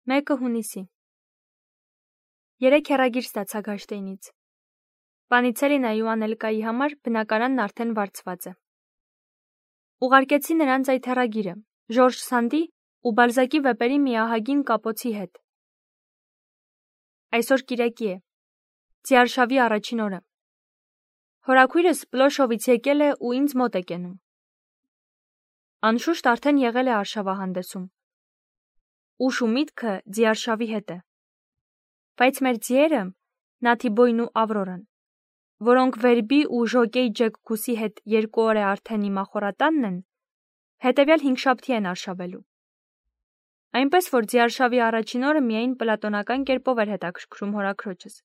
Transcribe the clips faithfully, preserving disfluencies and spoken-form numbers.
Մեկը հունիսի։ Երեք հեռագիր ստացա Գաշտեյնից։ Պանիցելինայի ու Անելկայի համար բնակարանն արդեն վարձված է։ Ուղարկեցի նրանց այդ հեռագիրը, Ժորժ Սանդի ու Բալզակի վեպերի մի ահագին կապոցի հետ։ Այսօր կիրակի է, Ձիարշավի առաջին օրը։ Հորաքույրս Պլոշովից եկել է ու ինձ մոտ է կենում։ Անշուշտ արդեն եղել է արշավահանդեսում։ Ուշ ու միտքը Ձիարշավի հետ է։ Բայց մեր ձիերը, Նաթիբոյն ու Ավրորան, որոնք Վերբի ու Ժոկեյ Ջեքկուսի հետ երկու օր է արդեն իմ ախորատանն են, հետևյալ հինգշաբթի են արշավելու։ Այնպես որ Ձիարշավի առաջին օրը միայն պլատոնական կերպով էր հետաքրքրում հորաքրոջս։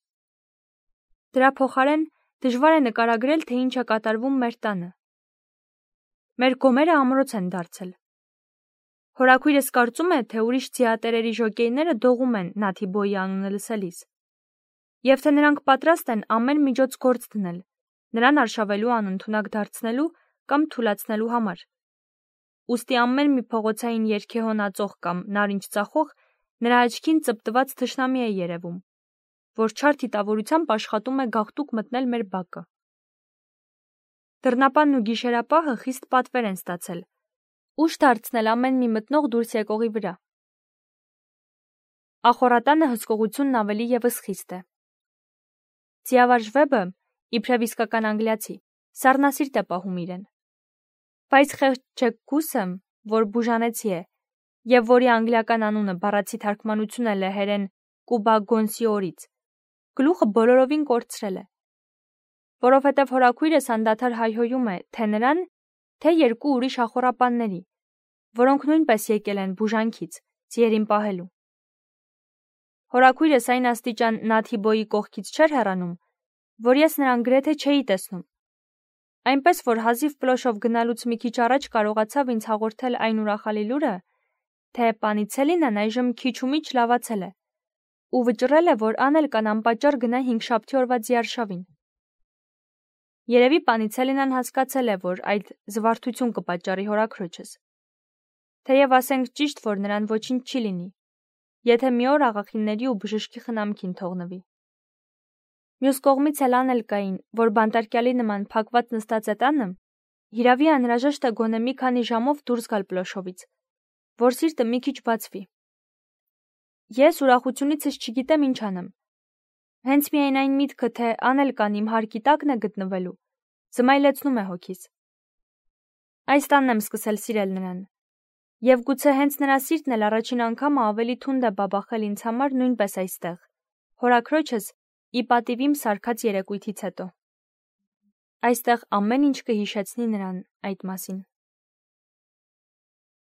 Դրա փոխարեն դժվար է նկարագրել, թե ինչ է կատարվում մեր տանը։ Մեր գոմերը ամրոց են դարձել։ Հորաքույրս կարծում է, թե ուրիշ ձիատերերի ժոկեյները դողում են Նաթիբոյի անունը լսելիս, եւ թե նրանք պատրաստ են ամեն միջոց գործ դնել, նրան արշավելու անընդունակ դարձնելու կամ թուլացնելու համար։ Ուստի ամեն մի փողոցային երգեհոն ածող կամ նարինջ ծախող նրա աչքին ծպտված թշնամի է երևում, որ չար թիտավորությամբ աշխատում է գաղտուկ մտնել մեր բակը։ Դռնապանն ու գիշերապահը խիստ պատվեր են ստացել, ուշ դարձնել ամեն մի մտնող դուրս եկողի վրա։ Ախորատանը հսկողությունն ավելի ևս խիստ է։ Ձիավարժ Վեբը, իբրև իսկական անգլիացի, սառնասիրտ է պահում իրեն։ Բայց խեղճ Ջեքկուսը, որ բուժանեցի է, եւ որի անգլիական անունը բառացի թարգմանություն է լեհերեն Կուբա Գոնսիորից, գլուխը բոլորովին կորցրել է, որովհետև հորաքույրս անդադար հայհոյում է թե նրան, թե երկու ուրիշ ախորապանների, որոնք նույնպես եկել են բուժանքից, ձիերին պահելու։ Հորաքույրս այն աստիճան Նաթիբոյի կողքից չէր հեռանում, որ ես նրան գրեթե չէի տեսնում։ Այնպես որ հազիվ Պլոշով գնալուց մի քիչ առաջ կարողացավ ինձ հաղորդել այն ուրախալի լուրը, թե Պանիցելինան այժմ քիչ ու միչ լավացել է, ու վճռել է, որ Անելկան անպատճառ գնա հինգշաբթի օրվա Ձիարշավին։ Երևի Պանիցելինան հասկացել է, որ այդ զվարթություն կպատճառի հորաքրոջս։ Թեև ասենք ճիշտ, որ նրան ոչինչ չի լինի, եթե մի օր աղախինների ու բժշկի խնամքին թողնվի։ Մյուս կողմից էլ Անելկային, որ բանտարկյալի նման փակված նստած է տանը, հիրավի անհրաժեշտ է գոնե մի քանի ժամով դուրս գալ Պլոշովից, որ սիրտը մի քիչ բացվի։ Ես ուրախությունիցս չգիտեմ ինչ անեմ։ Հենց միայն այն միտքը, թե Անելկան իմ հարկի տակն է գտնվելու, զմայլեցնում է հոգիս։ Այս տանն եմ սկսել սիրել նրան, եւ գուցե հենց նրա սիրտն էլ առաջին անգամը ավելի թունդ է բաբախել ինձ համար նույնպես այստեղ, հորաքրոջս ի պատիվ իմ սարքած երեկույթից հետո։ Այստեղ ամեն ինչ կհիշեցնի նրան այդ մասին։